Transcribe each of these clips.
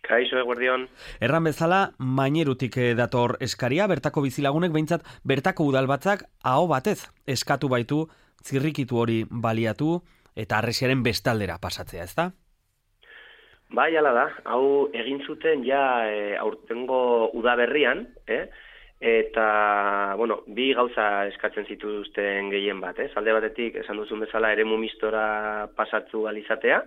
Kaixo, eguerdion. Erran bezala, Mainerutik dator eskaria, bertako bizilagunek behintzat bertako udalbatzak aho batez eskatu baitu zirrikitu hori baliatu eta Harresiaren bestaldera pasatzea, ezta? Bai, hala da, hau egin zuten ja aurtengo udaberrian, eta, bueno, bi gauza eskatzen zituzten gehien bat, alde batetik, esan duzun bezala, eremu mistora pasatzu alizatea,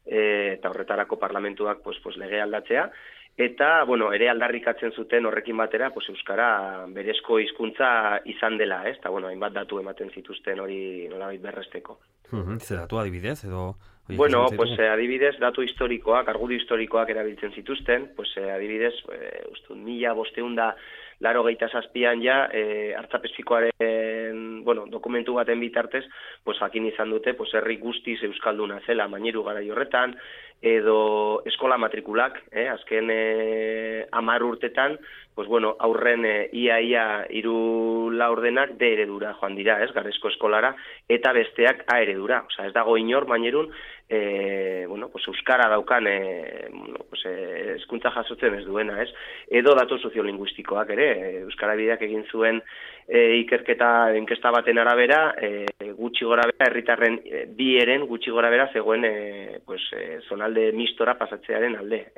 eta horretarako parlamentuak lege aldatzea, eta, bueno, ere aldarrikatzen zuten horrekin batera, euskara berezko hizkuntza izan dela, eta, bueno, hainbat datu ematen zituzten hori nolabait berresteko. Ze datu adibidez, edo... Bueno, adibidez, datu historikoak, argudio historikoak erabiltzen zituzten, adibidez, 1587an ja, Artzapezpikuaren, dokumentu baten bitartez, jakin izan dute, herri guztiz euskalduna zela Maineru garai horretan, edo eskola matrikulak, azken 10 urtetan, aurren ia 3 laurdenak D eredura joan dira, Garezko eskolara, eta besteak A eredura. Osea, ez dago inor Mainerun, euskara daukan, hezkuntza jasotzen ez duena, edo datu soziolinguistikoak ere, euskara bideak egin zuen inkesta baten arabera, gutxi gorabera, herritarren bi eren gutxi gorabera zegoen zonalde mistora pasatzearen alde,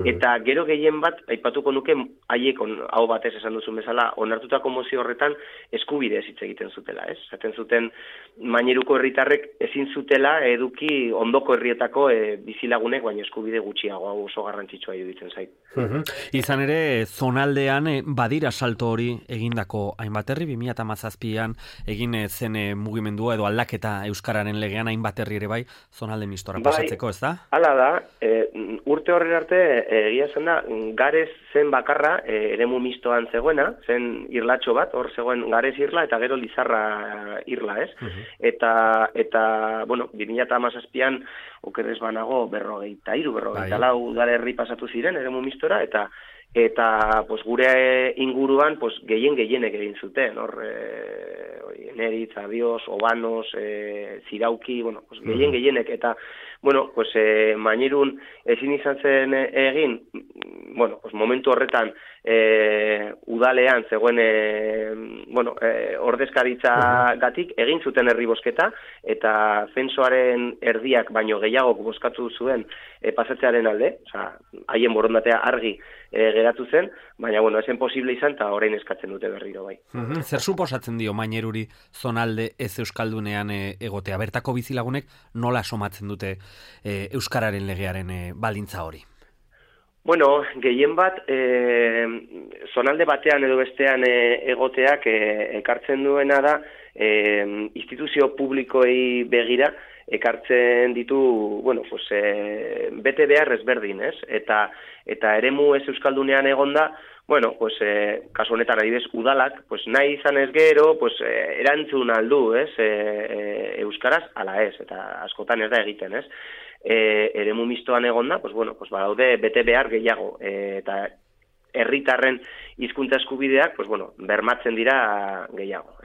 Eta gero gehien bat, aipatuko nuke, haiek hau batez esan duzun bezala, onartutako mozio horretan eskubide hitz egiten zutela, Zaten zuten Maineruko herritarrek ezin zutela eduki ondoko herrietako bizilagunek, baina eskubide gutxiago, hau oso garrantzitsua iruditzen zait. Izan ere, zonaldean badira salto hori egindako hainbat herri, 2017an egin zen mugimendua edo aldaketa euskararen legean hainbat herri ere bai, zonalde mistora pasatzeko, ez da? Hala da, urte horren arte, egia zen da, Garez zen bakarra, eremu mistoan zegoena, zen irlatxo bat, hor zegoen Garez irla eta gero Lizarra irla, Eta 2017an, okerrez banago, 44 udalerri pasatu ziren, eremu mistora, eta gure inguruan gehienek egin zuten, hor Neritz, Abios, Obanos, Zirauki, gehienek, eta Mainerun ezin izan zen egin, momentu horretan udalean zegoen ordezkaritza gatik egin zuten herri bozketa, eta zensoaren erdiak baino gehiagok bozkatu zuen pasatzearen alde, haien borondatea argi geratu zen, baina esen posible izan eta orain eskatzen dute berriro bai. Zer suposatzen dio Maineruri zonalde ez euskaldunean egotea? Bertako bizilagunek nola somatzen dute euskararen legearen baldintza hori? Bueno, gehien bat, zonalde batean edo bestean egoteak ekartzen duena da, instituzio publikoei begira, ekartzen ditu, bete behar ezberdin, eta eremu ez euskaldunean egonda, kasu honetan adibidez udalak, nahi izan ez gero, erantzun aldu, euskaraz, ala ez, eta askotan ez da egiten, eremu mistoan egonda, badaude bete behar gehiago, eta herritarren hizkuntza eskubideak, bermatzen dira gehiago,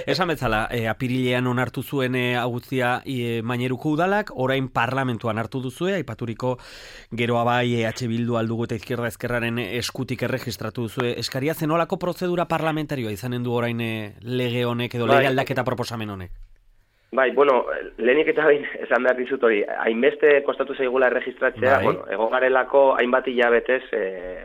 Esan bezala, apirilean onartu zuen guztia Maineruko udalak, orain parlamentuan hartu duzue, aipaturiko geroa bai Bildu aldugu eta izquierda ezkerraren eskutik erregistratu duzue. Eskaria zenolako prozedura parlamentarioa izanen du orain lege honek edo lege aldaketa proposamen honek? Bai, lehenik eta bain esan behar dizut hori, hainbeste kostatu zaigula erregistratzea, egon garelako hainbat hilabetez,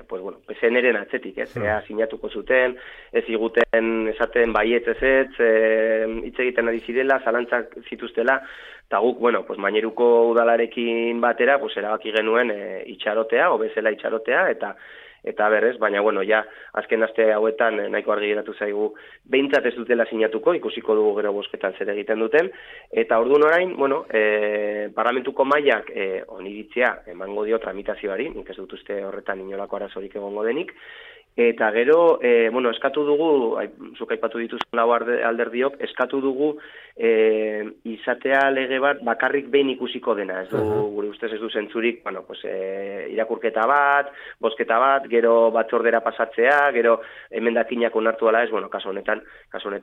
PSN-eren atzetik, sinatuko zuten, ez iguten esaten baiet hitz egiten ari zirela, zalantzak zituztela, eta guk, Maineruko udalarekin batera, erabaki genuen itxarotea, bezala itxarotea, eta berrez, baina, ja, azken aste hauetan nahiko argi geratu zaigu, behintzat ez dutela sinatuko, ikusiko dugu gero bozketan zer egiten duten, eta orduan orain, parlamentuko mailak oniritzia emango dio tramitazioari, nik ez dut uste horretan inolako arazorik egongo denik, eta gero, eskatu dugu, zuk aipatu dituzun lau alderdiok, eskatu dugu izatea lege bat bakarrik behin ikusiko dena, ez du, gure ustez ez du zentzurik, irakurketa bat, bozketa bat, gero batzordera pasatzea, gero emendakinak onartu ala ez, kasu honetan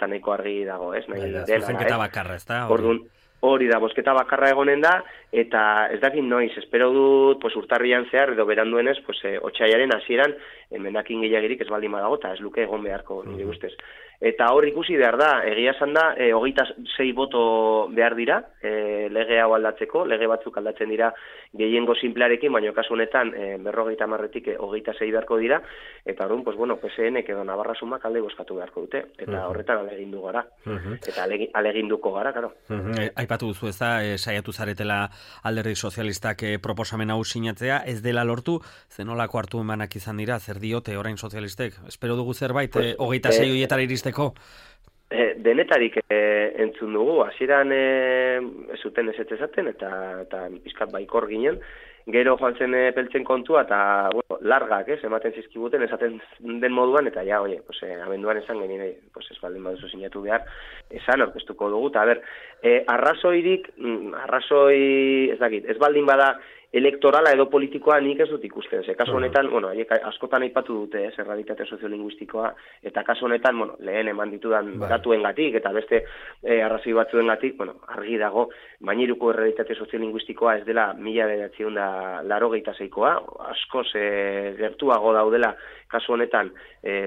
nahiko argi dago, ez? Zuzenketa bakarra, ez da? Orduan, hori da, bozketa bakarra egonen da, eta ez dakit noiz, espero dut, pues, urtarrian zehar, edo beranduenez, pues, otsailaren hasieran, emendakin gehiagirik ez baldin badago, eta ez luke egon beharko, nire ustez. Eta hor ikusi behar da, egia esan da, 26 boto behar dira, lege hau aldatzeko, lege batzuk aldatzen dira gehiengo simplearekin, baina kasu honetan 50-tik 26 beharko dira, eta orduan, pues bueno, PSN-ek edo Navarra Sumak alde bozkatu beharko dute, eta horretan alegindu gara, eta aleginduko gara, karo. Aipatu duzu ez da, saiatu zaretela Alderdi Sozialistak proposamen hau sinatzea, ez dela lortu, zenolako hartu emanak izan dira, zer diote orain sozialistek? Espero dugu zerbait, 26 horietara iristeko? Denetarik entzun dugu, hasieran ez zuten ezaten eta pizkat baikor ginen, gero joan zen peltzen kontua eta bueno, largak, ematen zizkibuten esaten den moduan, eta ja, oie, pues, abenduan esan genien, pues, ez baldin baduzu sinatu behar, esan aurkeztuko dugu, eta arrazoirik, ez dakit, ez baldin bada elektorala edo politikoa nik ez dut ikusten. Kasu honetan, bueno, askotan aipatu dute, errealitate soziolinguistikoa, eta kasu honetan, bueno, lehen eman ditudan datuengatik eta beste arrazoi batzuengatik, bueno, argi dago, Maineruko errealitate soziolinguistikoa ez dela 1986koa, askoz gertuago daudela kasu honetan,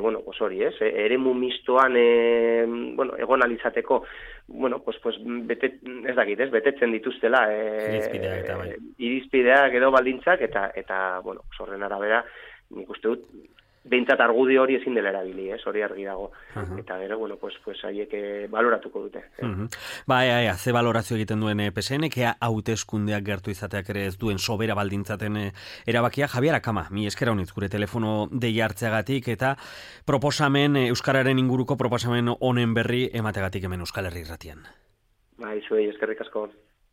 bueno, pues hori, eremu mistoan, bueno, egon alizateko, bueno, pues ez dakit, betetzen dituztela irizpideak edo baldintzak eta bueno, horren arabera nik uste dut behintzat argudio hori ezin dela erabili, hori argi dago. Eta gero, bueno, pues haiek baloratuko dute. Ze valorazio egiten duen PSN, hauteskundeak gertu izateak ere ez duen sobera baldintzaten erabakia. Javier Akama, mi esker honitz gure telefono deia hartzeagatik eta proposamen, euskararen inguruko proposamen honen berri emategatik hemen Euskal Herri Irratian. Zuei eskerrik asko.